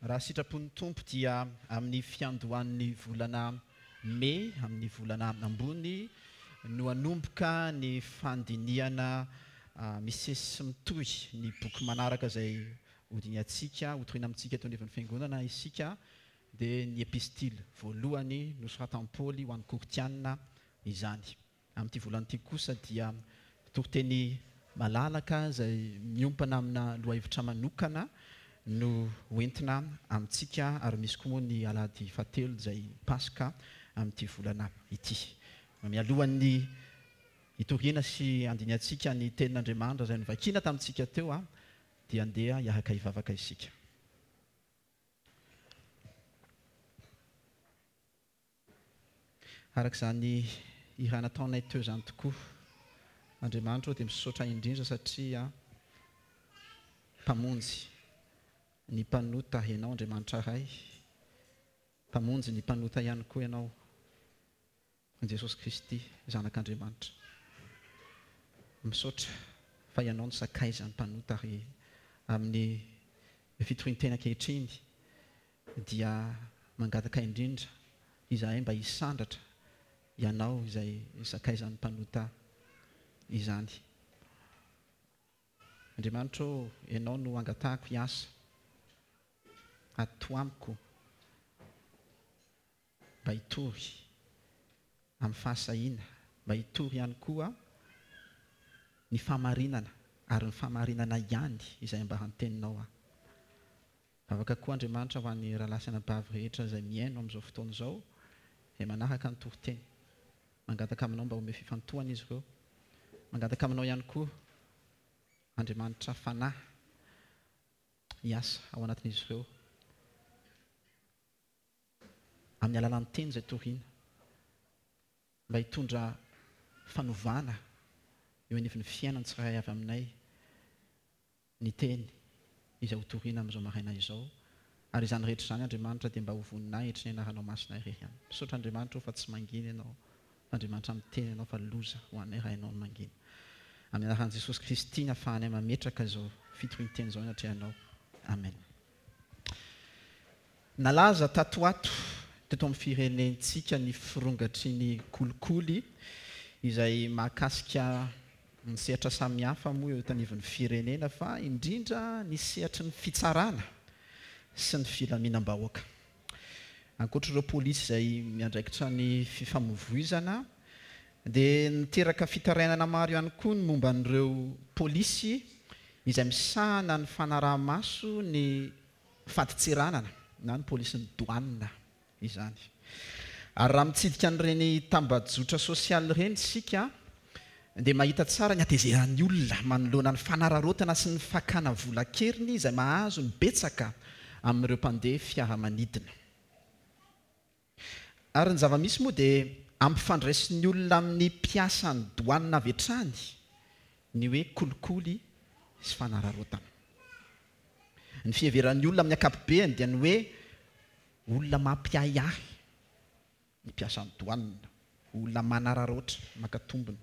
Raha sitrapon'ny Tompo dia amin'ny fiandohan'ny volana Mey, amin'ny volana ambony, no hanomboka ny fandinihana misesy sy mitohy ny boky manaraka izay hodinihantsika, hotorina amintsika eto anivon'ny Fiangonana isika, dia ny Epistily voalohany nosoratan'i Paoly ho an'ny Korintiana izany. Amin'ity volana ity kosa dia toriteny malalaka izay miompana amina lohahevitra manokana no hoentina amintsika ary misy koa moa ny alahady fahatelo izay Paska amin'ity volana ity. Mialohan'ny hitoriana sy handinihantsika ny tenin'Andriamanitra izay novakiana tamintsika teo dia andeha hiaraka hivavaka isika. Araka izany hira nataonay teo izany tokoa, Andriamanitra ô dia misaotra indrindra satria Mpamonjy ny mpanota Ianao Andriamanitra Ray, Mpamonjy ny mpanota ihany koa Ianao Jesosy Kristy Zanak'Andriamanitra. Misaotra fa Ianao no sakaizan'ny mpanota ary amin'ny fitorian-teny ankehitriny dia mangataka indrindra izahay mba hisandratra Ianao izay sakaizan'ny mpanota izany. Andriamanitra ô, Ianao no angatahako hiasa ato amiko mba hitory amin'ny fahasahiana, mba hitory ihany koa ny fahamarinana ary ny fahamarinana ihany izay ambaran'ny Teninao aho. Vavaka koa Andriamanitra ho an'ny rahalahy sy anabavy rehetra izay mihaino amin'izao fotoana izao, izay manaraka ny toriteny. Mangataka aminao mba omeo fifantohana izy ireo. Mangataka aminao ihany koa Andriamanitra Fanahy hiasa ao anatin'izy ireo amin'ny alalan'ny teny izay torina mba hitondra fanovana eo anivon'ny fiainan'ny tsirairay avy aminay. ny teny izay ho torina amin'izao maraina izao, ary izany rehetra izany Andriamanitra dia mba ho voninahitry ny anaranao masina irery ihany. Misaotra Andriamanitra o fa tsy mangina Ianao, fa Andriamanitra miteny Ianao fa loza ho anay raha Ianao no mangina. Amin'ny anaran'i Jesosy Kristy ny afahanay mametraka izao fitorian-teny izao eny atrehanao. Amen. Nalaza tato ho ato teto amin'ny firenentsika ny firongatry ny kolikoly izay mahakasika ny sehatra samihafa moa eo anivon'ny firenena fa indrindra ny sehatry ny fitsarana sy ny filaminam-bahoaka. Ankoatra ireo polisy izay miandraikitra ny fifamoivoizana dia niteraka fitarainana maro ihany koa ny momba an'ireo polisy izay misahana ny fanaraha-maso ny fadintseranana na ny polisin'ny douane izany. Ary raha mitsidika an'ireny tambajotra sosialy ireny isika dia mahita tsara ny hatezeran'ny olona manoloana ny fanararaotana sy ny fakana vola an-keriny izay mahazo ny betsaka amin'ireo mpandeha fiaramanidina. Ary ny zava-misy moa dia ampifandraisin'ny olona amin'ny mpiasan'ny douane avy hatrany ny hoe kolikoly sy fanararaotana. Ny fiheveran'ny olona amin'ny ankapobeny dia ny hoe olona mampiahiahy ny mpiasan'ny douane, olona manararaotra maka tombony,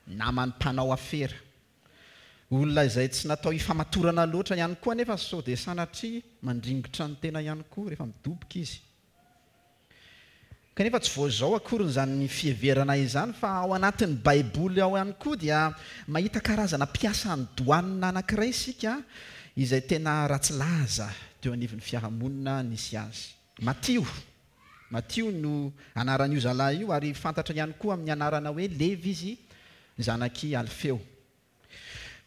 naman'ny mpanao afera, olona izay tsy natao hifamatorana loatra ihany koa anefa sao dia sanatria mandringotra ny tena ihany koa rehefa midoboka izy. Kanefa tsy vao izao akory izany fiheverana izany fa ao anatin'ny Baiboly ao ihany koa dia mahita karazana mpiasan'ny douane anankiray isika izay tena ratsy laza teo anivon'ny fiarahamonina nisy azy. Matio. Matio no anaran'io zalahy io ary fantatra ihany koa amin'ny anarana hoe Levy izy, zanak'i Alfeo.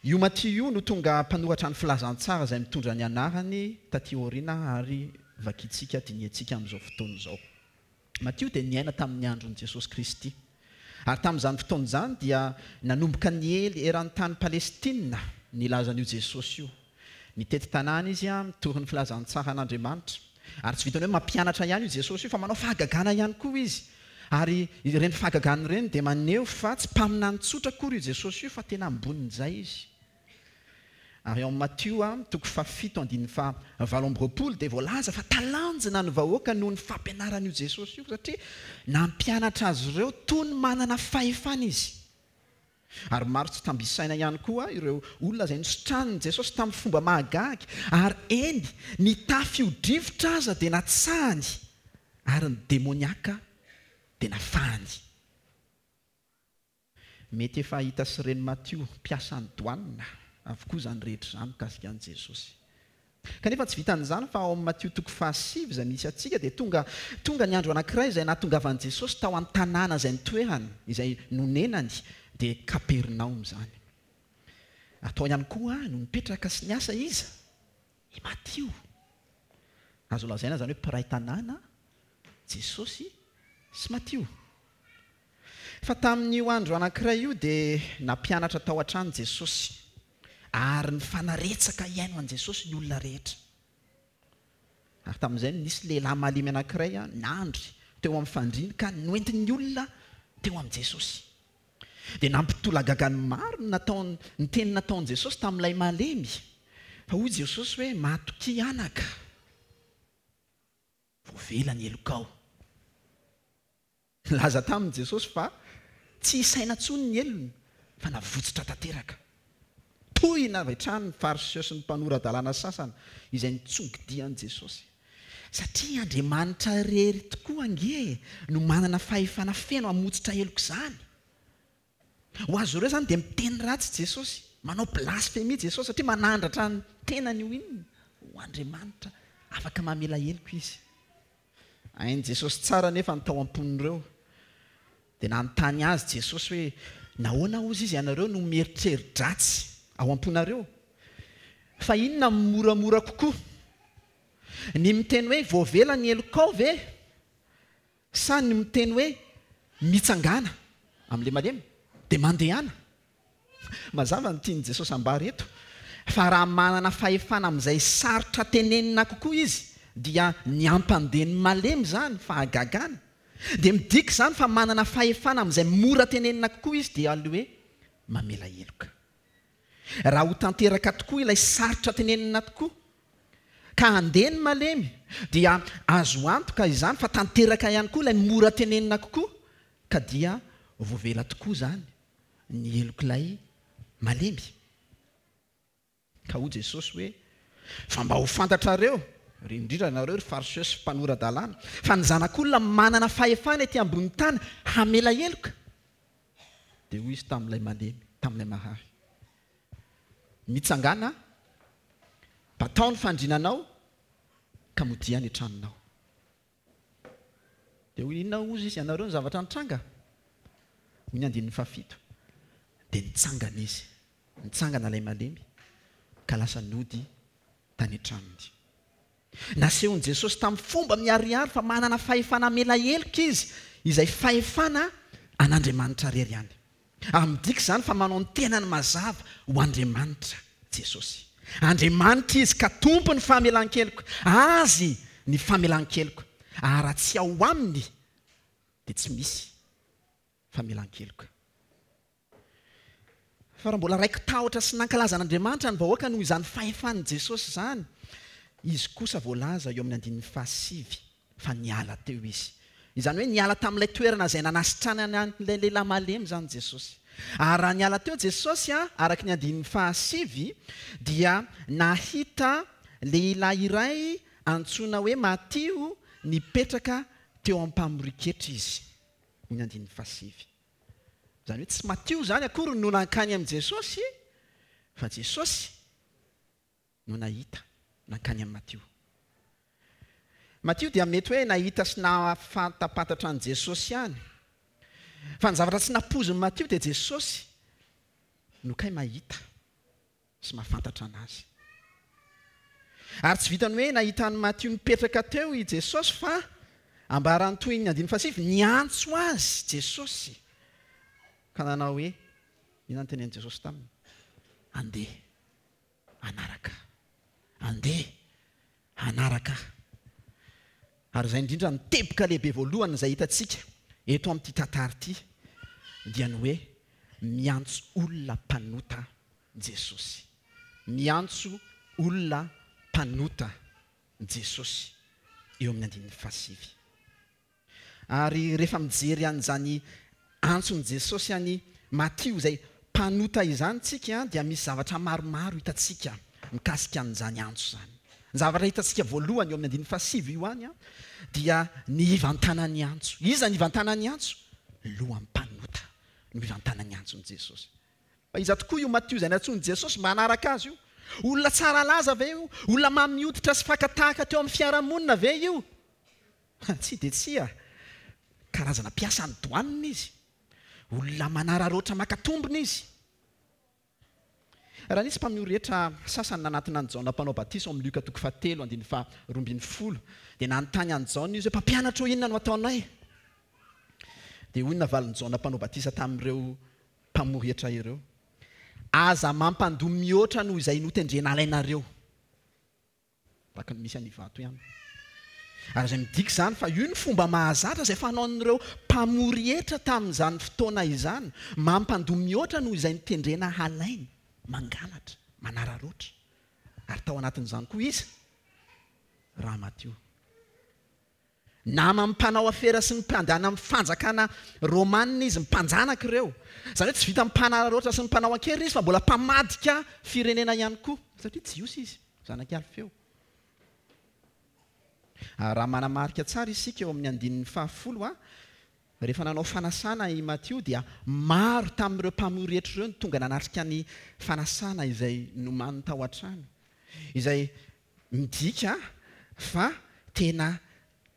Io Matio io no tonga mpanoratra ny Filazantsara izay mitondra ny anarany taty aoriana ary vakintsika dinihantsika amin'izao fotoana izao. Matio dia niaina tamin'ny andron'i Jesosy Kristy. Ary tamin'izany fotoana izany dia nanomboka niely eran'ny tany Palestina ny lazan'io Jesosy io. Mitety tanàna izy mitory ny filazantsaran'Andriamanitra. Ary tsy vitan'ny hoe mampianatra ihany io Jesosy io fa manao fahagagana ihany koa izy. Ary ireny fahagagana ireny dia maneho fa tsy mpaminany tsotra akory io Jesosy io fa tena ambonin'izay izy. Ary ao amin'ny Matio toko fahafito andininy faha 28 dia voalaza fa talanjona ny vahoaka noho ny fampianaran'io Jesosy io satria nampianatra azy ireo toy ny manana fahefana izy. Ary maro tsy tambo isaina ihany koa ireo olona izay nositranin'i Jesosy tamin'ny fomba mahagaga, ary eny, ny tafio-drivotra aza dia natsahany, ary ny demoniaka dia nafahany. Mety efa hita sy ren'i Matio, mpiasan'ny douane, avokoa izany rehetra izany mikasika an'i Jesosy. Kanefa tsy vitan'izany fa ao amin'ny Matio toko fahasivy izay misy antsika dia tonga tonga ny andro anankiray izay nahatongavan'i Jesosy tao an-tanàna izay nitoerany, izay nonenany, dia Kapernaomy izany. Ary tao ihany koa no nipetraka sy niasa iza? I Matio. Azo lazaina izany hoe mpiray tanàna Jesosy sy Matio. Fa tamin'io andro anankiray io dia nampianatra tao an-trano Jesosy, ary nifanaretsaka hihaino an'i Jesosy ny olona rehetra. Ary tamin'izay no nisy lehilahy malemy anankiray nandry teo amin'ny fandriany ka noentin'ny olona teo amin'i Jesosy. Dia nampitolagaga ny maro ny nataony, ny teny nataon'i Jesosy tamin'ilay malemy. Fa hoy Jesosy hoe, Matokia anaka, voavela ny helokao. Nilaza taminy Jesosy fa tsy hisaina intsony ny helony fa navotsotra tanteraka. Tohina avy hatrany ny Fariseo sy ny mpanora-dalàna sasany izay nitsongodia an'i Jesosy. Satria Andriamanitra irery tokoa ange no manana fahefana feno hamotsitra heloka izany. Ho azy ireo izany dia miteny ratsy Jesosy, manao blasfemia Jesosy satria manandratra ny tenany ho inona? Ho Andriamanitra afaka mamela heloka Izy. Hain'i Jesosy tsara anefa ny tao am-pon'ireo. Dia nanontany azy Jesosy hoe, Nahoana hozy izy ianareo no mieritreri-dratsy ao am-ponareo? Fa inona no moramora kokoa? Ny miteny hoe, 'Voavela ny helokao' ve? Sa ny miteny hoe, 'Mitsangàna amin'ilay malemy, dia mandehana'? Mazava ny tian'i Jesosy ambara eto, fa raha manana fahefana amin'izay sarotra tenenina kokoa izy, dia ny hampandeha ny malemy izany, fahagagana. Dia midika izany fa manana fahefana amin'izay mora tenenina kokoa izy, dia ilay hoe mamela heloka. Raha ho tanteraka tokoa ilay sarotra tenenina tokoa, ka handeha ny malemy, dia azo antoka izany fa tanteraka ihany koa ilay mora tenenina kokoa, ka dia voavela tokoa izany ny helok'ilay malemy. Ka hoy Jesosy hoe, Fa mba ho fantatrareo, ry indrindra ianareo ry Fariseo sy mpanora-dalàna, fa ny Zanak'olona manana fahefana ety ambonin'ny tany hamela heloka. Dia hoy Izy tamin'ilay malemy, tamin'ilay marary, Mitsangàna, batao ny fandrinanao, ka modia any an-tranonao. Dia hoy inona hozy izy, ianareo ny zavatra nitranga? Hoy ny andininy fahafito. Dia nitsangana izy, nitsangana ilay malemy, ka lasa nody tany an-tranony. Nasehon'i Jesosy tamin'ny fomba miharihary fa manana fahefana hamela heloka izy, izay fahefana an'Andriamanitra irery ihany. Ary midika izany fa manao ny tenany mazava ho Andriamanitra Jesosy. Andriamanitra Izy ka Tompon'ny famelan-keloka. Azy ny famelan-keloka. Ary raha tsy ao Aminy dia tsy misy famelan-keloka. Fa raha mbola raiki-tahotra sy nankalaza an'Andriamanitra ny vahoaka noho izany fahefan'i Jesosy izany, Izy kosa voalaza eo amin'ny andininy fahasivy fa niala teo izy. Izany hoe niala tamin'ilay toerana izay nanasitranany an'ilay lehilahy malemy izany Jesosy. Ary raha niala teo Jesosy, araka ny andininy fahasivy, dia nahita lehilahy iray antsoina hoe Matio nipetraka teo am-pamorian-ketra izy. Hoy ny andininy fahasivy. Izany hoe tsy Matio izany akory no nankany amin'i Jesosy, fa Jesosy no nahita nankany amin'i Matio. Matio dia mety hoe nahita sy nahafantapantatra an'i Jesosy ihany. Fa ny zavatra tsy nampoizin'i Matio dia Jesosy no kay mahita sy mahafantatra anazy. Ary tsy vitan'ny hoe nahita an'i Matio nipetraka teo i Jesosy fa ambaran'ny tohin'ny andininy fahasivy, niantso azy Jesosy ka nanao hoe, inona no tenenin'i Jesosy taminy? Andeha. hanaraka ahy. Andeha hanaraka ahy. Ary izay indrindra ny teboka lehibe voalohany izay hitantsika eto amin'ity tantara ity dia ny hoe miantso olona mpanota Jesosy. Miantso olona mpanota Jesosy eo amin'ny andininy fahasivy. Ary rehefa mijery an'izany antson'i Jesosy an'i Matio izay mpanota izany tsika dia misy zavatra maromaro hitantsika mikasika an'izany antso izany. Ny zavatra hitantsika voalohany eo amin'ny andininy fahasivy io ihany dia ny hivantanan'ny antso. Iza ny hivantanan'ny antso? Lohan'ny mpanota no hivantanan'ny antson'i Jesosy. Fa iza tokoa io Matio izay nantsoin'i Jesosy mba hanaraka azy io? Olona tsara laza ve io? Olona mamy hoditra sy faka tahaka teo amin'ny fiarahamonina ve io? Tsia dia tsia. Karazana mpiasan'ny douane izy. Olona manararaotra maka tombony izy. Raha nisy mpamory hetra sasany nanatona an'i Jaona Mpanao Batisa ao amin'ny Lioka toko fahatelo andininy faha-12, dia nanontany an'i Jaona izy hoe, Mpampianatra ô, inona no ataonay? Dia hoy ny navalin'i Jaona Mpanao Batisa tamin'ireo mpamory hetra ireo, Aza mampandoa mihoatra noho izay notendrena alainareo. Tahaka ny misy any Ivato ihany. Ary izay midika izany fa io ny fomba mahazatra izay fanaon'ireo mpamory hetra tamin'izany fotoana izany, mampandoa mihoatra noho izay notendrena halaina, mangalatra, manararaotra. Ary tao anatin'izany koa iza? Ramatio. Naman'ny mpanao afera sy ny mpandana amin'ny fanjakana romanina izy, mpanjanaka ireo. Izany hoe tsy vitan'ny mpanararaotra sy ny mpanao an-keriny izy fa mbola mpamadika firenena ihany koa, satria Jiosy izy, zanak'i Alfeo. Ary raha manamarika tsara isika eo amin'ny andininy fahafolo, rehefa nanao fanasana i Matio dia maro tamin'ireo mpamory hetra ireo no tonga nanatrika ny fanasana izay nomaniny tao an-trano, izay Midika fa tena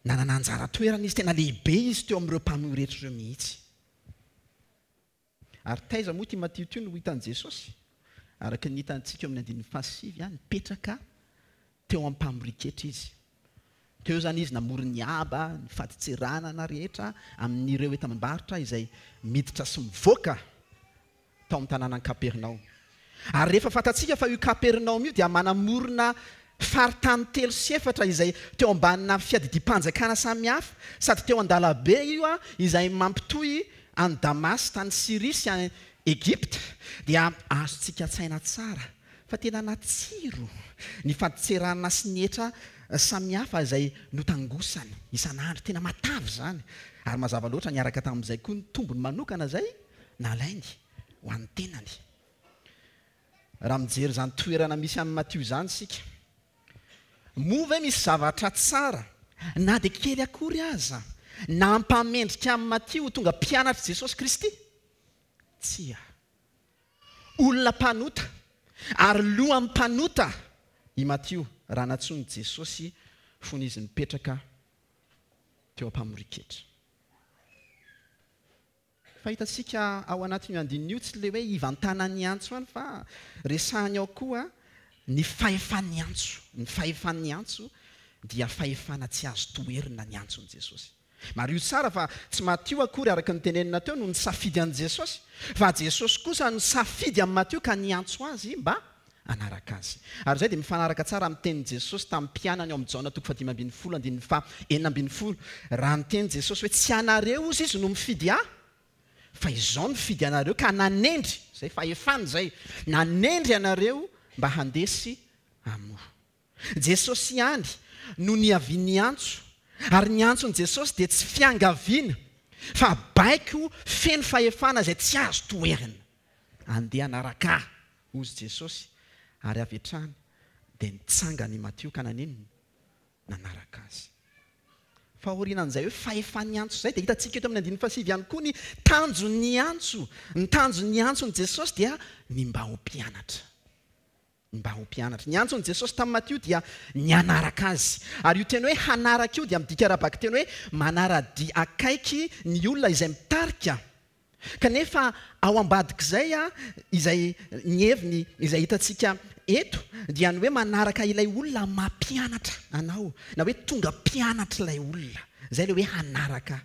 nanana anjara toerana izy, tena lehibe izy teo amin'ireo mpanohy rehetra ireo mihitsy. Ary taiza moa ity Matio ity no hitan'i Jesosy? Araka ny hitantsika eo amin'ny andininy fahasivy, nipetraka teo am-pamorian-ketra izy. Teo izany izy namory ny haba, ny fadintseranana rehetra amin'ireo entam-barotra izay miditra sy mivoaka tao amin'ny tanànan'i Kapernaomy. Ary rehefa fantatsika fa io Kapernaomy io dia manamorona faritany telo sy efatra izay teo ambanina fiadidiam-panjakana samihafa, sady teo an-dalabe io izay mampitohy an'i Damasy tany Syria sy any Egypta, dia azontsika an-tsaina tsara fa tena natsiro ny fadintseranana sy ny hetra samihafa izay notangosany isan'andro. Tena matavy izany. Ary mazava loatra niaraka tamin'izay koa ny tombony manokana izay nalainy ho an'ny tenany. Raha mijery izany toerana misy an'i Matio izany isika, moa ve misy zavatra tsara, na dia kely akory aza, nampamendrika an'i Matio ho tonga mpianatr'i Jesosy Kristy? Tsia. Olona mpanota ary lohan'ny mpanota i Matio raha nantsoin'i Jesosy fony izy nipetraka teo am-pamorian-ketra. Fa hitantsika ao anatin'io andininy io tsy ilay hoe hivantanan'ny antso ihany fa resahiny ao koa ny fahefan'ny antso. Ny fahefan'ny antso dia fahefana tsy azo toherina ny antson'i Jesosy. Mariho tsara fa tsy Matio akory araka ny tenenina teo no nisafidy an'i Jesosy fa Jesosy kosa nisafidy an'i Matio ka niantso azy mba hanaraka azy. Ary izay dia mifanaraka tsara amin'ny tenin'i Jesosy tamin'ny mpianany ao amin'ny Jaona toko fahadimy ambin'ny folo andininy faha-16, raha niteny Jesosy hoe, Tsy anareo hozy izy no mifidy ahy, fa izaho nifidy anareo ka nanendry, izay fahefana izay, nanendry anareo mba handeha sy hamoa. Jesosy ihany no niavian'ny antso, ary ny antson'i Jesosy dia tsy fiangaviana, fa baiko feno fahefana izay tsy azo toherina. Andeha hanaraka ahy, hozy Jesosy, ary avy hatrany dia nitsangana i Matio ka naninona? Nanaraka azy. Fa aorianan'izay hoe fahefan'ny antso izay dia hitantsika eto amin'ny andininy fahasivy ihany koa ny tanjon'ny antso. Ny tanjon'ny antson'i Jesosy dia ny mba ho mpianatra. Ny mba ho mpianatra. Ny antson'i Jesosy tamin'i Matio dia ny hanaraka azy. Ary io teny hoe hanaraka io dia midika ara-bakiteny hoe manara-dia akaiky ny olona izay mitarika. Kanefa ao ambadik'izay, izay ny heviny izay hitantsika eto dia ny hoe manaraka ilay olona mampianatra anao, na hoe tonga mpianatr'ilay olona. Izay ilay hoe hanaraka.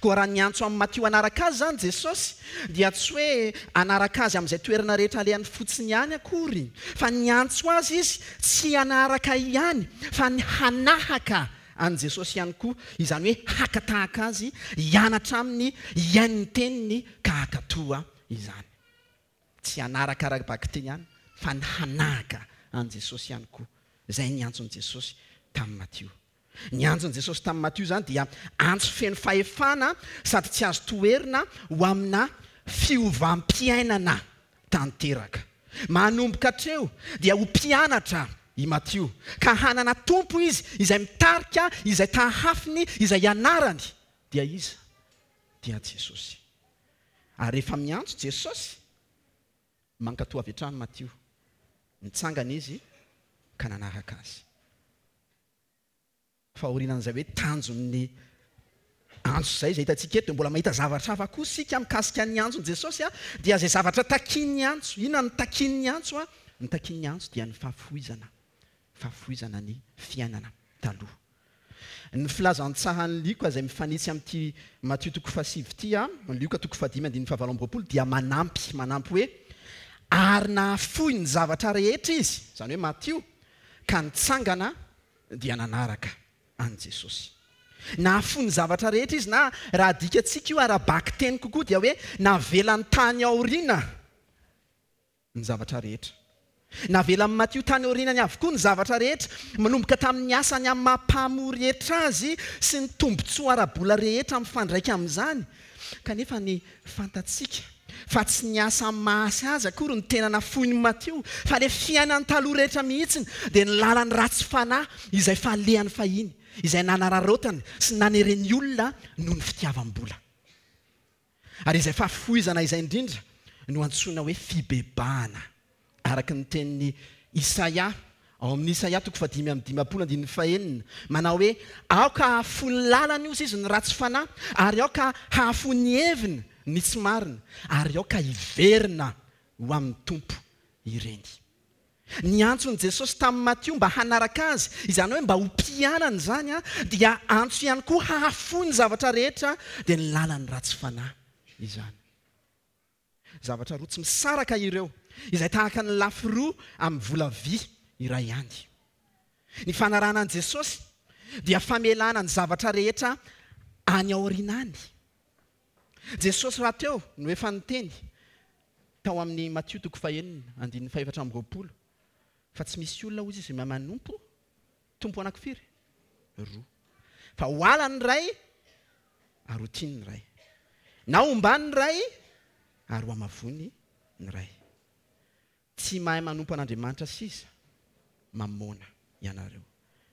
Koa raha niantso an'i Matio hanaraka azy izany Jesosy, dia tsy hoe hanaraka azy amin'izay toerana rehetra alehany fotsiny ihany akory, fa niantso azy izy tsy hanaraka ihany fa ny hanahaka an'i Jesosy ihany koa, izany hoe haka tahaka Azy, hianatra Aminy, hihaino ny teniny ka hankatoa izany. Tsy hanaraka ara-bakiteny ihany fa ny hanahaka an'i Jesosy ihany koa. Izay ny antson'i Jesosy tamin'i Matio. Ny antson'i Jesosy tamin'i Matio izany dia antso feno fahefana sady tsy azo toherina ho amina fiovam-piainana. tanteraka. Manomboka hatreo dia ho mpianatra i Matio, ka hanana Tompo izy izay mitarika, izay tahafiny, izay ianarany. Dia iza? Dia Jesosy. Ary rehefa miantso Jesosy, mankatò avy hatrany Matio. Nitsangana izy ka nanaraka Azy. Fa aorianan'izay hoe tanjon'ny antso izay, izay hitantsika eto, dia mbola mahita zavatra hafa koa isika mikasika ny antson'i Jesosy, dia izay zavatra takian'ny antso. Inona no takian'ny antso? Ny takian'ny antso dia ny fahafoizana, fahafoizana ny fiainana taloha. Ny filazantsaran'i Lioka izay mifanitsy amin'ity Matio toko fahasivy ity, Lioka toko fahadimy andininy fahavalo amby 20 dia manampy, manampy hoe, Ary nahafoy ny zavatra rehetra izy, izany hoe Matio, ka nitsangana dia nanaraka an'i Jesosy. Nahafoy ny zavatra rehetra izy na raha adikantsika io ara-bakiteny kokoa dia hoe navelany tany aoriana ny zavatra rehetra. Navelan'i Matio tany aorianany avokoa ny zavatra rehetra, manomboka tamin'ny asany amin'ny maha mpamory hetra azy sy ny tombontsoa ara-bola rehetra mifandraika amin'izany. Kanefa ny fantatsika fa tsy ny asa amin'ny maha asa azy akory no tena nafoin'i Matio, fa ilay fiainany taloha rehetra mihitsy, dia ny lalany ratsy fanahy izay falehany fahiny, izay nanararaotany sy nanereny olona noho ny fitiavam-bola. Ary izay fahafoizana izay indrindra no antsoina hoe fibebahana. Araka ny tenin'i Isaia, ao amin'ny Isaia toko fahadimy amby 50 andininy fahenina, manao hoe, Aoka hahafoy ny lalany, hozy izy, ny ratsy fanahy, ary aoka hahafoy ny heviny ny tsy marina, ary aoka hiverina ho amin'ny Tompo ireny. Ny antson'i Jesosy tamin'i Matio mba hanaraka Azy, izany hoe mba ho mpianany izany, dia antso ihany koa hahafoy ny zavatra rehetra, dia ny lalan'ny ratsy fanahy izany. Zavatra roa tsy misaraka ireo, izay tahaka ny lafy roa amin'ny vola vy iray ihany. Ny fanarahana an'i Jesosy dia famelana ny zavatra rehetra any aoriana any. Jesosy rahateo no efa niteny tao amin'ny Matio toko fahenina andininy fahefatra amby 20 fa tsy misy olona hozy izy mahay manompo Tompo anankifiry? Roa. Fa ho ala ny iray ary ho tiany ny iray. Na hombany ny iray ary ho hamavoiny ny iray. Tsy mahay manompo an'Andriamanitra sisa mamôna ianareo.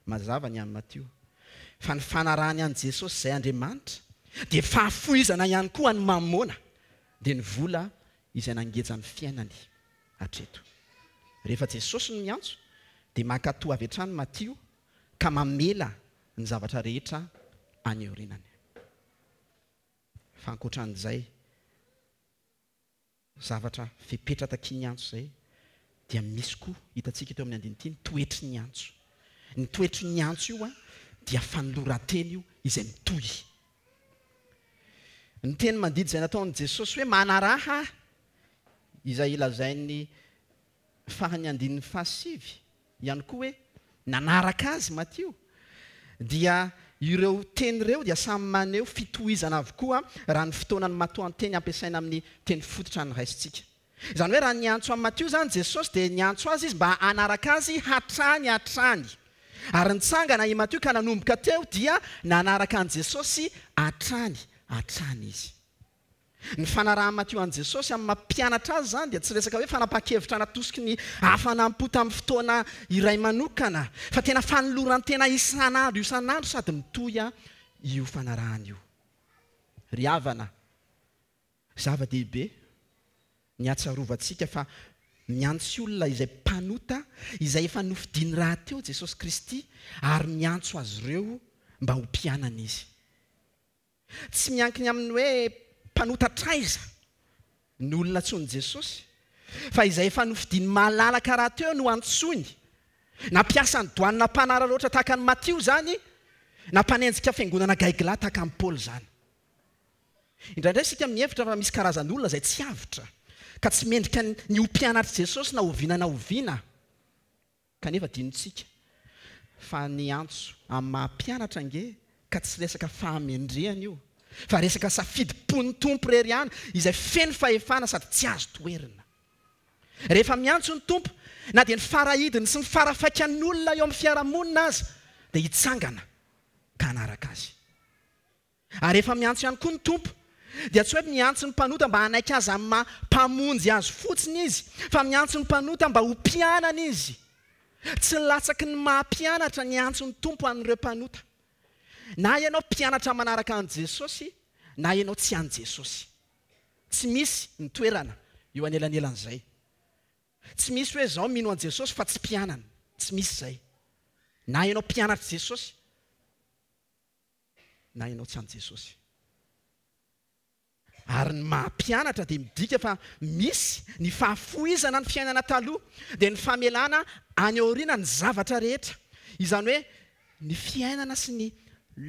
Mazava ny an'i Matio fa ny fanarahany an'i Jesosy izay Andriamanitra dia fahafoizana ihany koa an'i Mamôna dia ny vola izay nangeja ny fiainany hatreto. Rehefa Jesosy no miantso dia mankatò avy hatrany Matio ka mamela ny zavatra rehetra any aorianany. Fa ankoatra an'izay zavatra fepetra takian'ny antso izay dia misy koa hitantsika eto amin'ny andininy ity ny toetry ny antso. Ny toetry ny antso io dia fanoloran-tena io izay mitohy. Ny teny mandidy izay nataon'i Jesosy hoe manaraha Ahy izay lazain'ny faran'ny andininy fahasivy ihany koa hoe nanaraka Azy Matio dia ireo teny ireo dia samy maneho fitohizana avokoa raha ny fotoanan'ny matoanteny ampiasaina amin'ny teny fototra noraisintsika. Izany hoe raha niantso an'i Matio izany Jesosy dia niantso azy Izy mba hanaraka Azy hatrany hatrany. Ary nitsangana i Matio ka nanomboka teo dia nanaraka an'i Jesosy hatrany hatrany izy. Ny fanarahan'i Matio an'i Jesosy amin'ny maha mpianatra azy izany dia tsy resaka hoe fanapahan-kevitra natosiky ny hafanam-po tamin'ny fotoana iray manokana, fa tena fanoloran-tena isan'andro isan'andro sady mitohy io fanarahana io. Ry havana, zava-dehibe ny hahatsiarovantsika fa miantso olona izay mpanota, izay efa nofidiny rahateo Jesosy Kristy, ary miantso azy ireo mba ho mpianany Izy. Tsy miankina amin'ny hoe mpanota hatraiza ny olona antsoin'i Jesosy, fa izay efa nofidiny malalaka rahateo no antsoiny. Na mpiasan'ny doanina mpanararaotra tahaka an'i Matio izany, na mpanenjika fiangonana gaigilahy tahaka an'i Paoly izany. Indraindray isika mihevitra fa misy karazan'olona izay tsy avotra, ka tsy mendrika ny ho mpianatr'i Jesosy na oviana na oviana. Kanefa adinontsika fa ny antso amin'ny maha mpianatra ange ka tsy resaka fahamendrehana io fa resaka safidim-pon'ny Tompo irery ihany izay feno fahefana sady tsy azo toherina. Rehefa miantso ny Tompo, na dia ny farahidiny sy ny farafaikan'olona eo amin'ny fiarahamonina aza dia hitsangana ka hanaraka Azy. Ary efa miantso ihany koa ny Tompo. dia tsy hoe miantso ny mpanota mba hanaiky Azy amin'ny maha Mpamonjy azy fotsiny Izy, fa miantso ny mpanota mba ho mpianany Izy. Tsy latsaky ny maha mpianatra ny antson'ny Tompo an'ireo mpanota. Na ianao mpianatra manaraka an'i Jesosy na ianao tsy an'i Jesosy. Tsy misy ny toerana eo anelanelan'izay. Tsy misy hoe izaho mino an'i Jesosy fa tsy mpianany. Tsy misy izay. Na ianao mpianatr'i Jesosy na ianao tsy an'i Jesosy. Ary ny maha mpianatra dia midika fa misy ny fahafohizana ny fiainana taloha, dia ny famelana any aoriana ny zavatra rehetra. Izany hoe ny fiainana sy ny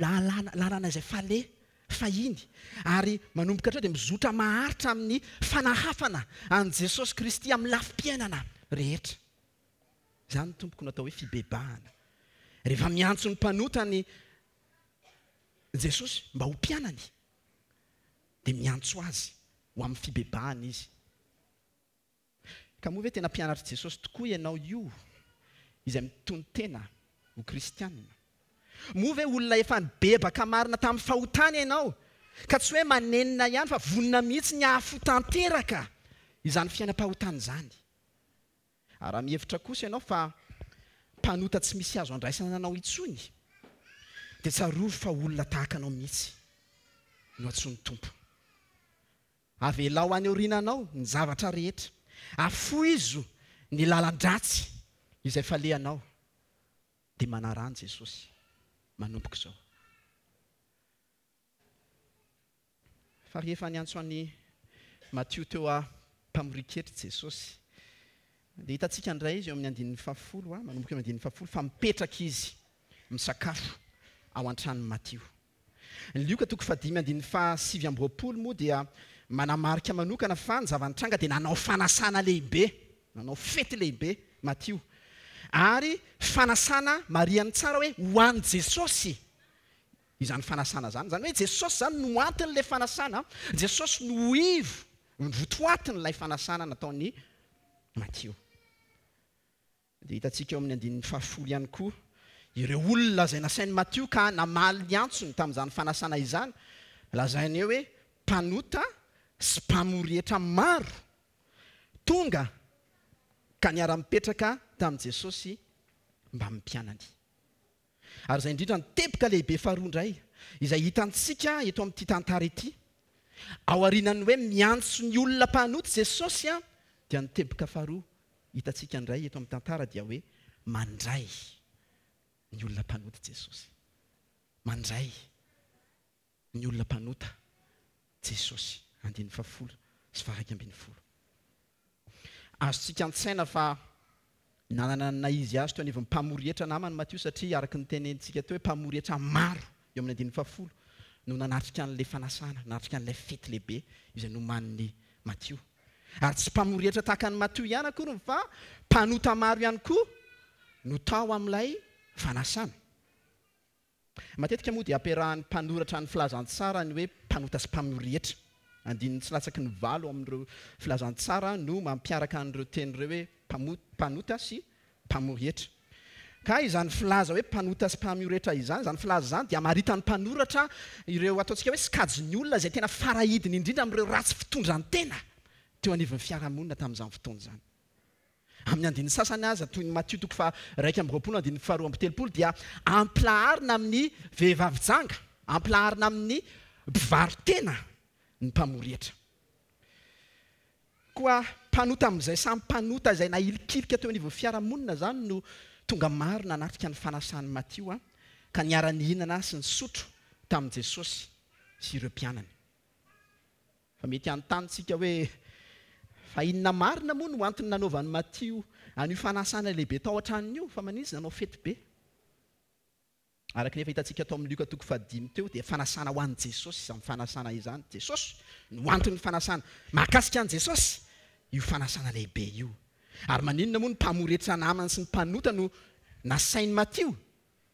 lalana lalana izay faleha fahiny. Ary manomboka hatreo dia mizotra maharitra amin'ny fanahafana an'i Jesosy Kristy amin'ny lafim-piainana rehetra. Izany tompoko no atao hoe fibebahana. Rehefa miantso ny mpanota ny Jesosy mba ho mpianany dia miantso azy ho amin'ny fibebahana izy. Ka moa ve tena mpianatr'i Jesosy tokoa ianao io izay mitono-tena ho kristiana? Moa ve olona efa nibebaka marina tamin'ny fahotany ianao, ka tsy hoe manenina ihany fa vonona mihitsy ny hahafoy tanteraka izany fiainam-pahotana izany? Ary raha mihevitra kosa ianao fa mpanota tsy misy azo andraisana anao intsony, dia tsarovy fa olona tahaka anao mihitsy no antsoin'ny Tompo. Avelao any aoriananao ny zavatra rehetra. Afoizo ny lalan-dratsy izay falehanao, dia manaraha an'i Jesosy manomboka izao. Fa rehefa niantso an'i Matio teo am-pamorian-ketra Jesosy, dia hitantsika indray izy eo amin'ny andininy fahafolo, manomboka eo amin'ny andininy fahafolo, fa mipetraka izy misakafo ao an-tranon'i Matio. Ny Lioka toko fahadimy andininy faha-29 moa dia manamarika manokana fa ny zava-nitranga dia nanao fanasana lehibe, nanao fety lehibe Matio. Ary fanasana marihany tsara hoe ho an'i Jesosy izany fanasana izany. Izany hoe Jesosy izany no anton'ilay fanasana, Jesosy no ivo, ny votoatin'ilay fanasana nataon'i Matio. Dia hitantsika eo amin'ny andininy fahafolo ihany koa ireo olona izay nasain'i Matio ka namaly ny antsony tamin'izany fanasana izany. Lazainy eo hoe mpanota sy mpamory hetra maro tonga ka niara-nipetraka tamin'i Jesosy mbamin'ny mpianany. Ary izay indrindra ny teboka lehibe faharoa indray izay hitantsika eto amin'ity tantara ity. Aorianan'ny hoe miantso ny olona mpanota Jesosy dia ny teboka faharoa hitantsika indray eto amin'ny tantara dia hoe mandray ny olona mpanota Jesosy. Mandray ny olona mpanota Jesosy, andininy fahafolo sy faha-iraika ambin'ny folo. Azontsika an-tsaina fa nanana ny naha-izy azy teo anivon'ny mpamory hetra namany Matio satria araka ny tenenintsika teo hoe mpamory hetra maro eo amin'ny andininy fahafolo no nanatrika an'ilay fanasana, nanatrika an'ilay fety lehibe izay nomanin'i Matio. Ary tsy mpamory hetra tahaka an'i Matio ihany akory fa mpanota maro ihany koa no tao amin'ilay fanasana. Matetika moa dia ampiarahan'ny mpanoratra ny filazantsara ny hoe mpanota sy mpamory hetra. Andininy tsy latsaky ny valo amin'ireo filazantsara no mampiaraka an'ireo teny ireo hoe mpanota sy mpamory hetra. Ka izany filaza hoe mpanota sy mpamory hetra izany, izany filaza izany dia amaritan'ny mpanoratra ireo ataontsika hoe sokajin'ny olona izay tena farahidiny indrindra amin'ireo ratsy fitondran-tena teo anivon'ny fiarahamonina tamin'izany fotoana izany. Amin'ny andininy sasany aza, toy ny Matio toko faha-21 andininy faha-32, dia ampilaharina amin'ny vehivavy janga, ampilaharina amin'ny mpivaro-tena ny mpamory hetra. Koa mpanota amin'izay samy mpanota izay nahilikilika teo anivon'ny fiarahamonina izany no tonga maro nanatrika ny fanasan'i Matio ka niara-nihinana sy nisotro tamin'i Jesosy sy ireo mpianany. Fa mety hanontany isika hoe, Fa inona marina moa no antony nanaovan'i Matio an'io fanasana lehibe tao an-tranony io? Fa maninona izy nanao fety be? Araka ny efa hitantsika tao amin'ny Lioka toko fahadimy teo, dia fanasana ho an'i Jesosy izany fanasana izany. Jesosy no anton'ny fanasana. Mahakasika an'i Jesosy io fanasana lehibe io. Ary maninona moa ny mpamory hetra namany sy ny mpanota no nasain'i Matio?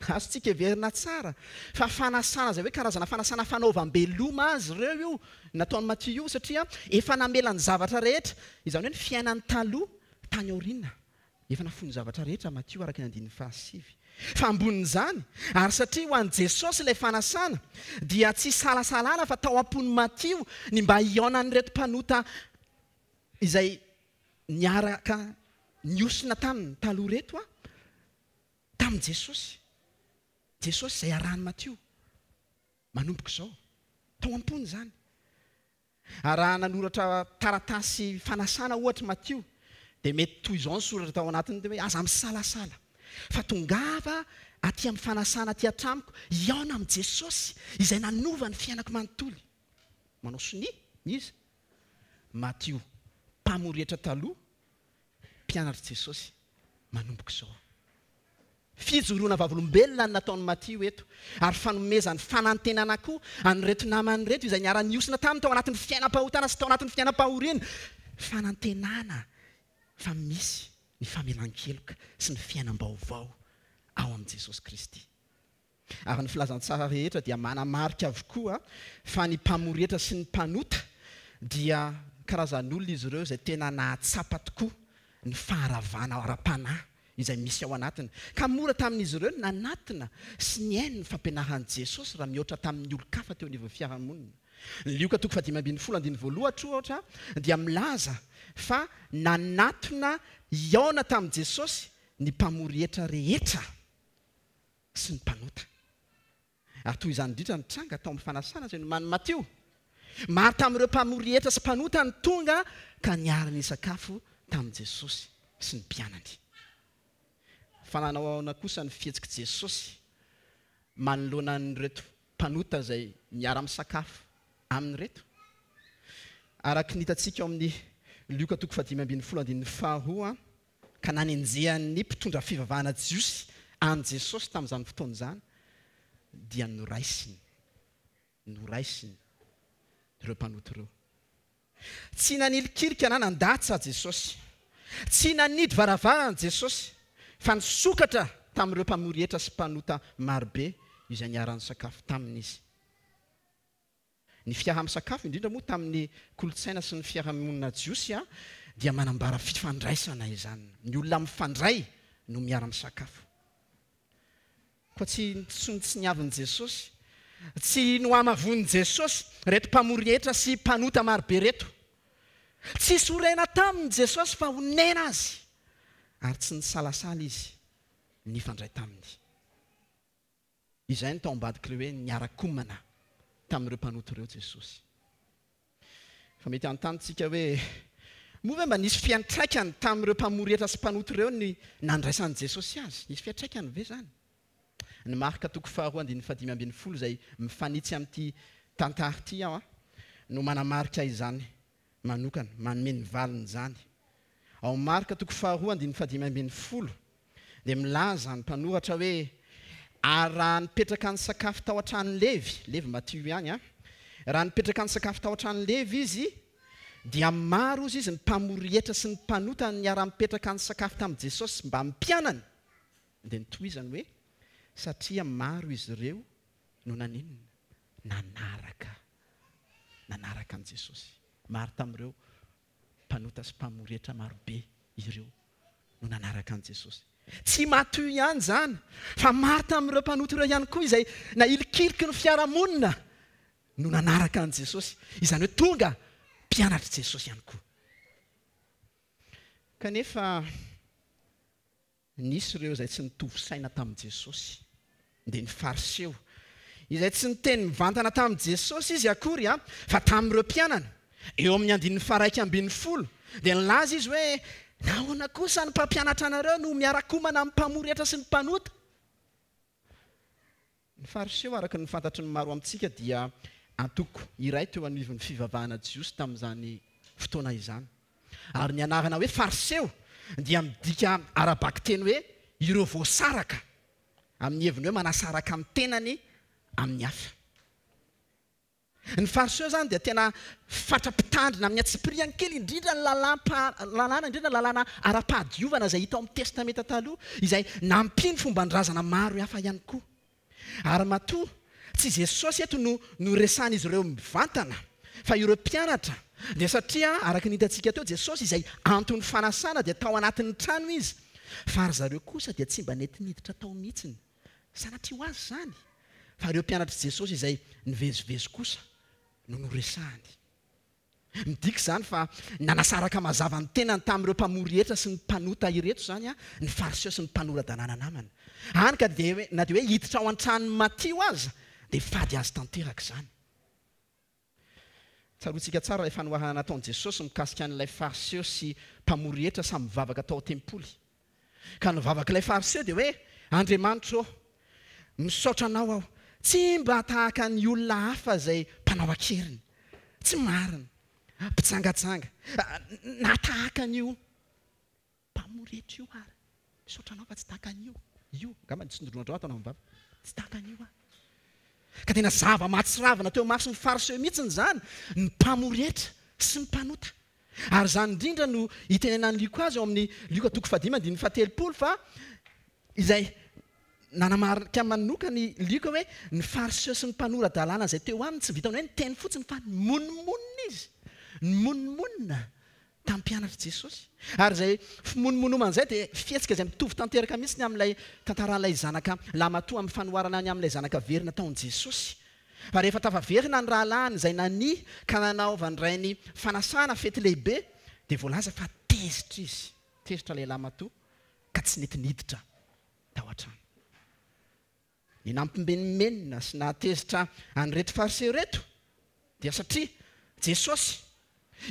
Azontsika heverina tsara fa fanasana izay hoe karazana fanasana fanaovam-beloma azy ireo io nataon'i Matio io satria efa namela ny zavatra rehetra, izany hoe ny fiainany taloha tany aoriana. Efa nafoy ny zavatra rehetra Matio araka ny andininy fahasivy. Fa ambonin'izany, ary satria ho an'i Jesosy ilay fanasana, dia tsy isalasalana fa tao am-pon'i Matio ny mba hihaonan'ireto mpanota izay niaraka nihosina taminy taloha ireto tamin'i Jesosy. Jesosy izay arahin'i Matio manomboka izao. Tao am-pony izany. Ary raha nanoratra taratasy fanasana ohatra i Matio, dia mety toy izao ny soratra tao anatiny hoe, Aza misalasala, fa tongava aty amin'ny fanasana aty an-tranoko hihaona amin'i Jesosy izay nanova ny fiainako manontolo. Manao sonia iza? Matio, mpamory hetra taloha, mpianatr'i Jesosy manomboka izao. Fijoroana vavolombelona no nataon'i Matio eto, ary fanomezany fanantenana koa an'ireto namany ireto izay niara-nihosina taminy tao anatin'ny fiainam-pahotana sy tao anatin'ny fiainam-pahoriana. Fanantenana fa misy ny famelan-keloka sy ny fiainam-baovao ao amin'i Jesosy Kristy. Ary ny filazantsara rehetra dia manamarika avokoa fa ny mpamory hetra sy ny mpanota dia karazan'olona izy ireo izay tena nahatsapa tokoa ny faharavana ara-panahy izay misy ao anatiny, ka mora tamin'izy ireo ny nanatona sy nihaino ny fampianaran'i Jesosy raha mihoatra tamin'ny olon-kafa teo anivon'ny fiarahamonina. Ny Lioka toko fahadimy ambin'ny folo andininy voalohatra ohatra dia milaza fa nanatona hihaona tamin'i Jesosy ny mpamory hetra rehetra. sy ny mpanota. Ary toy izany indrindra no tranga tao amin'ny fanasana izay nomanin'i Matio. Maro tamin'ireo mpamory hetra sy mpanota no tonga ka niara-nisakafo tamin'i Jesosy sy ny mpianany. Fa nanao ahoana kosa ny fihetsik'i Jesosy manoloana an'ireto mpanota izay miara-misakafo aminy ireto? Araka ny hitantsika ao amin'ny Lioka toko fahadimy ambin'ny folo andininy faharoa, ka nanenjehan'ny mpitondra fivavahana jiosy an'i Jesosy tamin'izany fotoana izany, dia noraisiny, noraisiny ireo mpanota ireo. Tsy nanilikilika na nandatsa Jesosy. Tsy nanidy varavarana Jesosy, fa nisokatra tamin'ireo mpamory hetra sy mpanota marobe izay niara-nisakafo taminy Izy. Ny fiaraha-misakafo, indrindra moa tamin'ny kolontsaina sy ny fiarahamonina jiosy, dia manambara fifandraisana izany. Ny olona mifandray no miara-misakafo. Koa tsy notsinontsiniavin'i Jesosy, tsy nohamavoin'i Jesosy ireto mpamory hetra sy mpanota marobe ireto. Tsy sorena taminy Jesosy fa onena azy, ary tsy nisalasala izy nifandray taminy. Izay no tao ambadik'ilay hoe niara-komana tamin'ireo mpanota ireo Jesosy. Fa mety hanontany isika hoe, Moa ve mba nisy fiantraikany tamin'ireo mpamory hetra sy mpanota ireo ny nandraisan'i Jesosy azy? Nisy fiantraikany ve izany? Ny Marka toko faharoa andininy fahadimy ambin'ny folo izay mifanitsy amin'ity tantara ity no manamarika izany manokana, manome ny valin'izany. Ao Marka toko faharoa andininy fahadimy ambin'ny folo dia milaza ny mpanoratra hoe, Ary raha nipetraka nisakafo tao an-tranon'i Levy, Levy Matio ihany an, raha nipetraka nisakafo tao an-tranon'i Levy izy, dia maro hozy izy ny mpamory hetra sy ny mpanota niara-nipetraka nisakafo tamin'i Jesosy mbamin'ny mpianany. Dia notohizany hoe, Satria maro izy ireo no naninona? Nanaraka, nanaraka an'i Jesosy. Maro tamin'ireo mpanota sy mpamory hetra marobe ireo no nanaraka an'i Jesosy. Tsy i Matio ihany izany, fa maro tamin'ireo mpanota ireo ihany koa izay nahilikiliky ny fiarahamonina no nanaraka an'i Jesosy, izany hoe tonga mpianatr'i Jesosy ihany koa. Kanefa Nisy ireo izay tsy nitovy saina tamin'i Jesosy, dia ny Fariseo, izay tsy niteny mivantana tamin'i Jesosy izy akory, fa tamin'ireo mpianany. Eo amin'ny andininy faha-11 dia nilaza izy hoe, Nahoana kosa ny mpampianatra anareo no miara-komana amin'ny mpamory hetra sy ny mpanota? Ny Fariseo, araka ny fantatry ny maro amintsika, dia antoko iray teo anivon'ny fivavahana jiosy tamin'izany fotoana izany. Ary ny anarana hoe Fariseo dia midika ara-bakiteny hoe ireo voasaraka, amin'ny heviny hoe manasaraka ny tenany amin'ny hafa. Ny Fariseo izany dia tena fatra-pitandrina amin'ny antsipiriany kely indrindra ny lalàm-pahalalana, indrindra ny lalàna ara-pahadiovana izay hita ao amin'ny Testamenta Taloha, izay nampiany fomban-drazana maro hafa ihany koa. Ary matoa tsy Jesosy eto no noresahan'izy ireo mivantana fa ireo mpianatra, dia satria araka ny hitantsika teo, Jesosy izay anton'ny fanasana dia tao anatin'ny trano Izy. Fa ry zareo kosa dia tsy mba nety niditra tao mihitsiny. Sanatria ho azy izany, fa ireo mpianatr'i Jesosy izay nivezivezy kosa no noresahany. Midika izany fa nanasaraka mazava ny tenany tamin'ireo mpamory hetra sy ny mpanota ireto izany ny Fariseo sy ny mpanora-dalàna namany. Hany ka dia na dia hoe hiditra ao an-tranon'i Matio aza dia fady azy tanteraka izany. Tsaroantsika tsara ilay fanoharana nataon'i Jesosy mikasika an'ilay Fariseo sy mpamory hetra samy mivavaka tao an-tempoly. Ka ny vavak'ilay Fariseo dia hoe, Andriamanitro ô, misaotra Anao aho, tsy mba tahaka ny olona hafa izay mpanao an-keriny, tsy marina, mpijangajanga, na tahaka an'io mpamory hetra io ary. Misaotra Anao fa tsy tahaka an'io, io, angamba ny tsindrondrao ataonao amin'ny vava, tsy tahaka an'io aho. Ka tena zava-mahatsiravina teo imason'ny Fariseo mihitsy izany, ny mpamory hetra sy ny mpanota. Ary izany indrindra no itenenan'i Lioka azy ao amin'ny Lioka toko fahadimy andininy fahatelopolo fa izay nanamarika manokana i Lioka hoe ny Fariseo sy ny mpanora-dalàna izay teo aminy tsy vitan'ny hoe niteny fotsiny fa nimonomonona izy, nimonomonona tamin'ny mpianatr'i Jesosy. Ary izay fimonomonomana izay dia fihetsika izay mitovy tanteraka mihitsy ny amin'ilay tantaran'ilay zanaka lahimatoa amin'ny fanoharana ny amin'ilay zanaka very nataon'i Jesosy. Fa rehefa tafaverina ny rahalahiny izay nania ka nanaovan-drainy fanasana fety lehibe, dia voalaza fa tezitra izy, tezitra ilay lahimatoa ka tsy nety niditra tao an-trano. Ny nampimenomenona sy nahatezitra an'ireto Fariseo ireto dia satria Jesosy,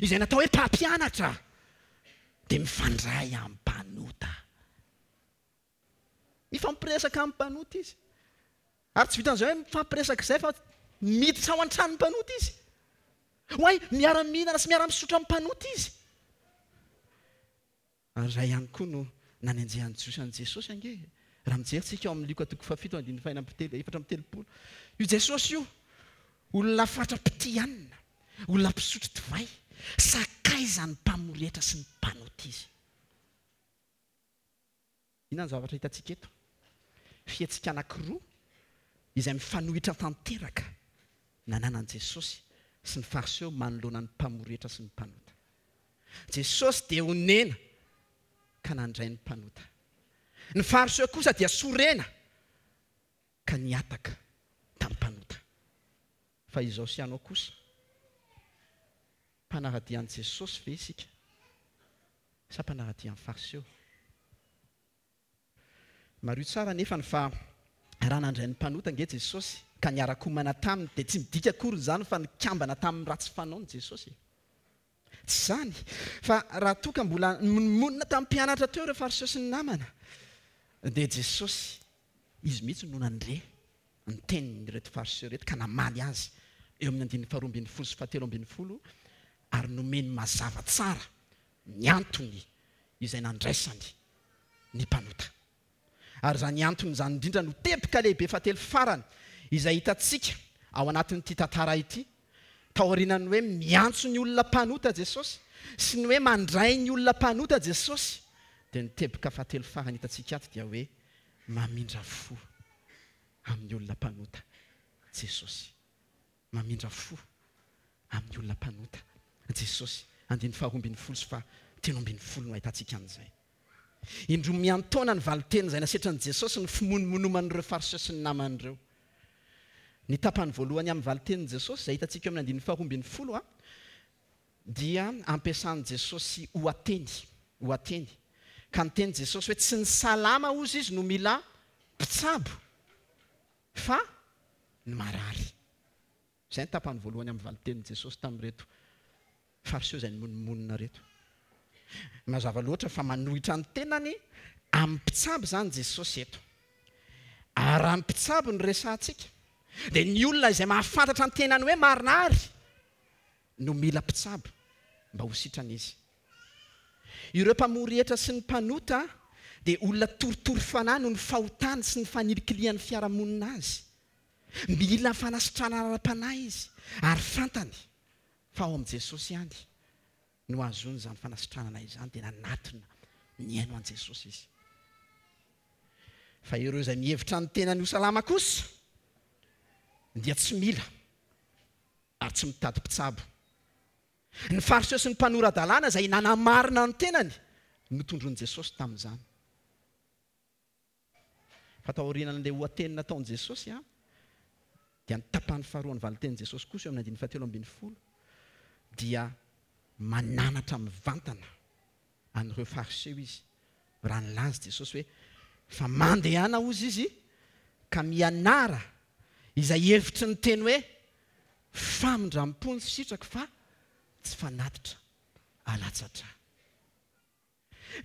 izay natao hoe mpampianatra, dia mifandray amin'ny mpanota. Mifampiresaka amin'ny mpanota izy. Ary tsy vitan'izay hoe mifampiresaka izay fa miditra ao an-tranon'ny mpanota izy. Oay, miara-mihinana sy miara-misotro amin'ny mpanota izy. Ary izay ihany koa no nanenjehan'ny Jiosy an'i Jesosy ange. Raha mijery tsika ao amin'ny Lioka toko fahafito andininy fahenina amby telo, 34. Io Jesosy io, olona fatra-pitia hanina, olona mpisotro divay, sakaizan'ny mpamory hetra sy ny mpanota izy. Inona ny zavatra hitantsika eto? Fihetsika anankiroa izay mifanohitra tanteraka nananan'i Jesosy sy ny Fariseo manoloana ny mpamory hetra sy ny mpanota. Jesosy dia onena ka nandray ny mpanota. Ny Fariseo kosa dia sorena ka nihataka tamin'ny mpanota. Fa izao sy ianao kosa, mpanara-dia an'i Jesosy ve isika sa mpanara-dia an'i Fariseo? Mariho tsara anefany fa raha nandray ny mpanota ange Jesosy ka niara-komana taminy dia tsy midika akory izany fa nikambana tamin'ny ratsy fanaony Jesosy e! Tsy izany fa raha toa ka mbola nimonomonona tamin'ny mpianatra teo ireo Fariseo sy ny namana dia Jesosy Izy mihitsy no nandre ny tenin'ireto Fariseo ireto ka namaly azy eo amin'ny andininy faharoa ambin'ny folo sy fahatelo ambin'ny folo ary nomeny mazava tsara ny antony izay nandraisany ny mpanota. Ary izany antony izany indrindra no teboka lehibe fahatelo farany izay hitantsika ao anatin'ity tantara ity, taorianan'ny hoe miantso ny olona mpanota Jesosy sy ny hoe mandray ny olona mpanota Jesosy, dia ny teboka fahatelo farany hitantsika ato dia hoe Mamindra fo amin'ny olona mpanota Jesosy. Mamindra fo amin'ny olona mpanota Jesosy. Andininy faharoa ambin'ny folo sy fahatelo ambin'ny folo no ahitantsika an'izay. Indroa miantaona ny valin-teny izay nasetrin'i Jesosy ny fimonomonoman'ireo Fariseo sy ny namany ireo. Ny tapany voalohany amin'ny valin-tenin'i Jesosy izay hitantsika eo amin'ny andininy faharoa ambin'ny folo dia ampiasan'i Jesosy ohateny, ohateny. Ka niteny Jesosy hoe tsy ny salama hozy izy no mila mpitsabo fa ny marary. Izay ny tapany voalohany amin'ny valin-tenin'i Jesosy tamin'ireto Fariseo izay nimonomonona ireto. Mazava loatra fa manohitra ny tenany amin'ny mpitsabo izany Jesosy eto. Ary raha ny mpitsabo no resahantsika dia ny olona izay mahafantatra ny tenany hoe marary no mila mpitsabo mba ho sitrana izy. Ireo mpamory hetra sy ny mpanota dia olona torotoro fanahy noho ny fahotany sy ny fanilikilihan'ny fiarahamonina azy. Mila fanasitranana ara-panahy izy ary fantany fa ao amin'i Jesosy ihany no hahazoany izany fanasitranana izany dia nanatona nihaino an'i Jesosy izy. Fa ireo izay mihevitra ny tenany ho salama kosa dia tsy mila ary tsy mitady mpitsabo. Ny Fariseo sy ny mpanora-dalàna izay nanamarina ny tenany no tondroin'i Jesosy tamin'izany. Fa taorianan'ilay ohateny nataon'i Jesosy dia ny tapany faharoan'ny valintenin'i Jesosy kosa eo amin'ny andininy fahatelo ambin'ny folo dia mananatra mivantana an'ireo Fariseo izy raha nilaza Jesosy hoe, Fa mandehana hozy izy ka mianara izay hevitry ny teny hoe famindram-po ny sitrako fa tsy fanatitra alatsa-drà.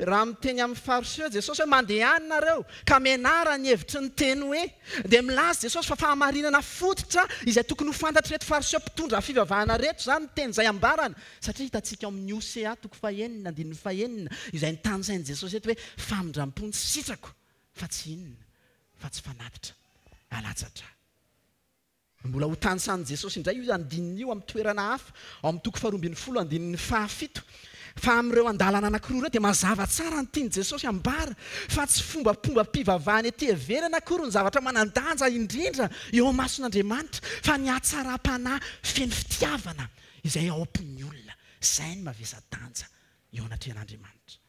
Raha miteny amin'ny Fariseo Jesosy hoe mandehana nareo ka mianara ny hevitry ny teny hoe, dia milaza Jesosy fa fahamarinana fototra izay tokony ho fantatr'ireto Fariseo mpitondra fivavahana ireto izany ny teny izay ambarany, satria hitantsika ao amin'ny Hosea toko fahenina andininy fahenina izay notanisain'i Jesosy eto hoe famindram-po ny sitrako fa tsy inona fa tsy fanatitra alatsa-drà. Mbola ho tanisan'i Jesosy indray io andininy io amin'ny toerana hafa, ao amin'ny toko faharoa ambin'ny folo andininy fahafito. Fa amin'ireo andalana anankiroa ireo dia mazava tsara ny tian'i Jesosy ambara, fa tsy fombafombam-pivavahana ety ivelany akory ny zavatra manan-danja indrindra eo imason'Andriamanitra, fa ny hatsaram-panahy feno fitiavana izay ao am-pon'ny olona. Izay no mavesa-danja eo anatrehan'Andriamanitra.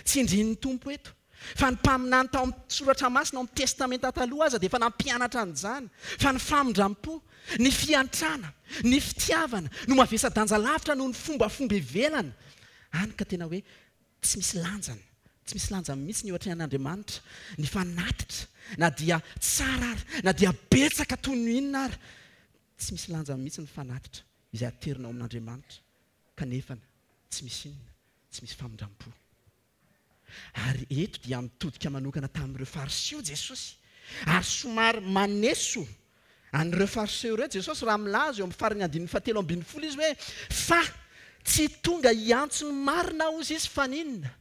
Tsindrin'ny Tompo eto fa ny mpaminany tao amin'ny Soratra Masina ao amin'ny Testamenta Taloha aza dia efa nampianatra an'izany fa ny famindram-po, ny fiantrana, ny fitiavana no mavesa-danja lavitra noho ny fombafomba ivelany. Hany ka tena hoe tsy misy lanjany, tsy misy lanjany mihitsy ny eo atrehan'Andriamanitra ny fanatitra na dia tsara ary, na dia betsaka toy ny inona ary. Tsy misy lanjany mihitsy ny fanatitra izay aterina ao amin'Andriamanitra kanefa tsy misy inona. tsy misy famindram-po. Ary eto dia mitodika manokana tamin'ireo Fariseo Jesosy, ary somary maneso an'ireo Fariseo ireo Jesosy raha milaza eo amin'ny faran'ny andininy fahatelo ambin'ny folo Izy hoe, Fa tsy tonga hiantso ny marina hozy Izy fa ny inona?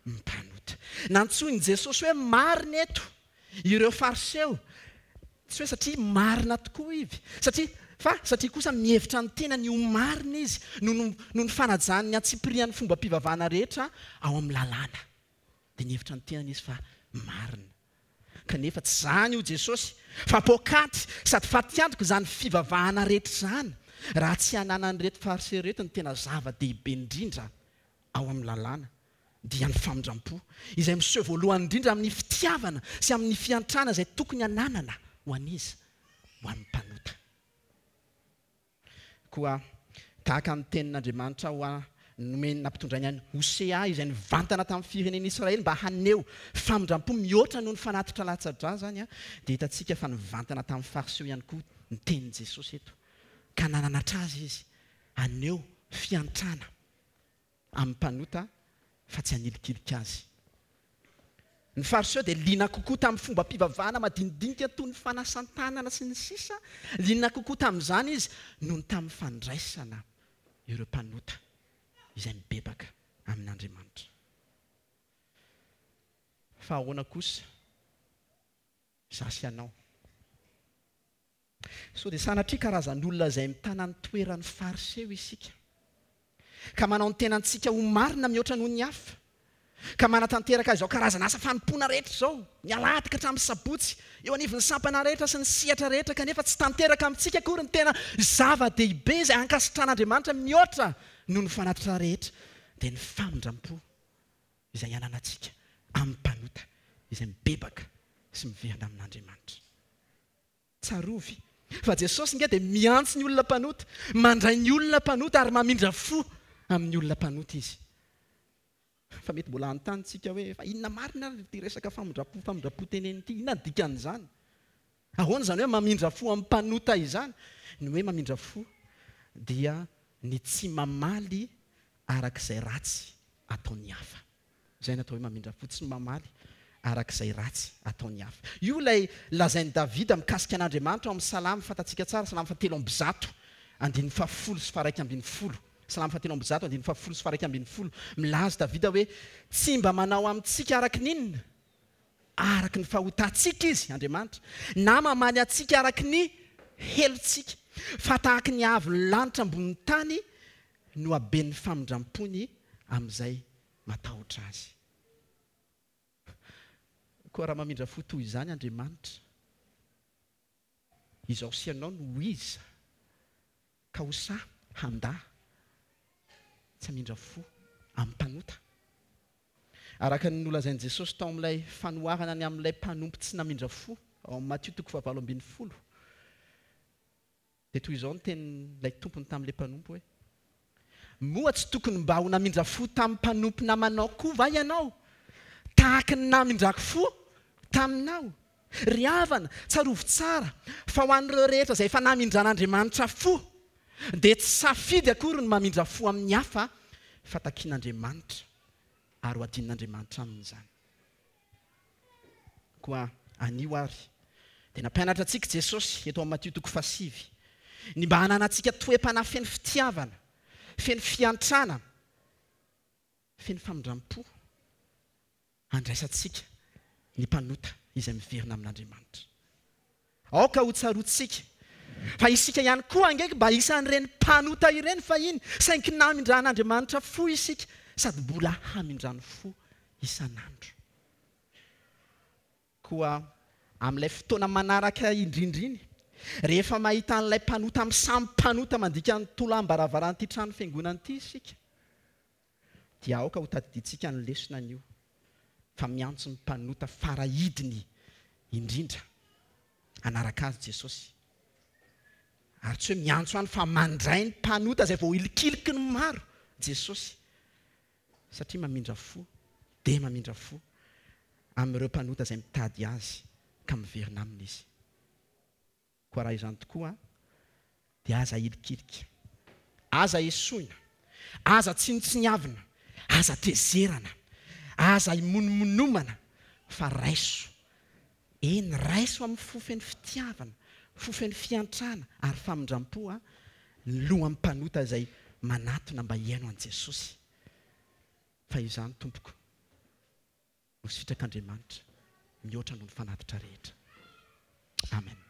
Mpanota. Nantsoin'i Jesosy hoe marina eto Ireo Fariseo, tsy hoe satria marina tokoa ivy, satria, fa satria kosa mihevitra ny tenany ho marina izy noho noho ny fanajany ny antsipirian'ny fombam-pivavahana rehetra ao amin'ny Lalàna. Dia nihevitra ny tenany izy fa marina. Kanefa tsy izany hoy Jesosy, fa poakaty sady fatiantoka izany fivavahana rehetra izany, raha tsy ananan'ireto Fariseo ireto ny tena zava-dehibe indrindra ao amin'ny Lalàna, dia ny famindram-po, izay miseho voalohany indrindra amin'ny fitiavana sy amin'ny fiantrana izay tokony hananana ho an'iza? Ho an'ny mpanota. Koa tahaka ny tenin'Andriamanitra ho a nomeny nampitondrainy an'i Hosea izay nivantana tamin'ny firenen'Israely mba haneho famindram-po mihoatra noho ny fanatitra latsa-drà izany, dia hitantsika fa nivantana tamin'ny Fariseo ihany koa ny tenin'i Jesosy eto, ka nananatra azy izy haneho fiantrana amin'ny mpanota fa tsy hanilikilika azy. Ny Fariseo dia liana kokoa tamin'ny fombam-pivavahana madinidinika toy ny fanasan-tanana sy ny sisa, liana kokoa tamin'izany izy noho ny tamin'ny fandraisana ireo mpanota izay mibebaka amin'Andriamanitra. Fa ahoana kosa izaho sy ianao? Sao dia sanatria karazan'olona izay mitana ny toeran'ny Fariseo isika, ka manao ny tenantsika ho marina mihoatra noho ny hafa, ka manatanteraka izao karazana asa fanompoana rehetra izao, ny alahady ka hatramin'ny sabotsy, eo anivon'ny sampana rehetra sy ny sehatra rehetra, kanefa tsy tanteraka amintsika akory ny tena zava-dehibe izay ankasitran'Andriamanitra mihoatra noho ny fanatitra rehetra, dia ny famindram-po izay ananantsika amin'ny mpanota izay mibebaka sy miverina amin'Andriamanitra. Tsarovy fa Jesosy nge dia miantso ny olona mpanota, mandray ny olona mpanota ary mamindra fo amin'ny olona mpanota Izy. Fa mety mbola hanontany tsika hoe fa inona marina ary ity resaka famindram-po famindram-po teneniny ity, inona ny dikan'izany? Ahoana izany hoe mamindra fo amin'ny mpanota izany? Ny hoe mamindra fo dia ny tsy mamaly araka izay ratsy ataon'ny hafa. Izay no atao hoe mamindra fo, tsy mamaly araka izay ratsy ataon'ny hafa. Io ilay lazain'i Davida mikasika an'Andriamanitra ao amin'ny Salamo fantatsika tsara, Salamo fahatelo amby zato, andininy fahafolo sy faha-iraika ambin'ny folo. Salamo fahatelo amby zato, andininy fahafolo sy faha-iraika ambin'ny folo. Milaza Davida hoe, Tsy mba manao amintsika araka ny inona? Araka ny fahotantsika Izy, Andriamanitra, na mamaly antsika araka ny helotsika. Fa tahaka ny haavon'ny lanitra ambonin'ny tany no haben'ny famindram-pony amin'izay matahotra Azy. Koa raha mamindra fo toy izany Andriamanitra, izaho sy ianao no ho iza ka ho sahy handà tsy hamindra fo amin'ny mpanota? Araka ny nolazain'i Jesosy tao amin'ilay fanoharana ny amin'ilay mpanompo tsy namindra fo, ao amin'ny Matio toko fahavalo ambin'ny folo, dia toy izao ny tenin'ilay tompony tamin'ilay mpanompo hoe, Moa tsy tokony mba ho namindra fo tamin'ny mpanompo namanao koa va ianao, tahaka ny namindrako fo taminao? Ry havana, tsarovy tsara fa ho an'ireo rehetra izay efa namindran'Andriamanitra fo, dia tsy safidy akory ny mamindra fo amin'ny hafa fa takian'Andriamanitra ary ho adinon'Andriamanitra aminy izany. Koa anio àry dia nampianatra antsika Jesosy eto amin'ny Matio toko fahasivy ny mba hananantsika toe-panahy feno fitiavana, feno fiantrana, feno famindram-po handraisantsika ny mpanota izay miverina amin'Andriamanitra. Aoka hotsaroantsika fa isika ihany koa ange mba isan'ireny mpanota ireny fahiny, saingy namindran'Andriamanitra fo isika sady mbola hamindrany fo isan'andro. Koa amin'ilay fotoana manaraka indrindra iny, rehefa mahita an'ilay mpanota amin'ny samy mpanota mandika ny tolam-baravaran'ity trano fiangonana ity isika, dia aoka hotadidiantsika ny lesona anio fa miantso ny mpanota faraidiny indrindra hanaraka Azy Jesosy. Ary tsy hoe miantso ihany fa mandray ny mpanota izay voahilikiliky ny maro Jesosy satria mamindra fo dia mamindra fo amin'ireo mpanota izay mitady Azy ka miverina Aminy Izy. Koa raha izany tokoa dia aza ahilikilika, aza esoina, aza tsinontsiniavina, aza tezerana, aza imonomonomana fa raiso, eny raiso amin'ny fo feno fitiavana, fo feno fiantrana ary famindram-po ny lohan'ny mpanota izay manatona mba hihaino an'i Jesosy. Fa izany tompoko no sitrak'Andriamanitra mihoatra noho ny fanatitra rehetra. Amen.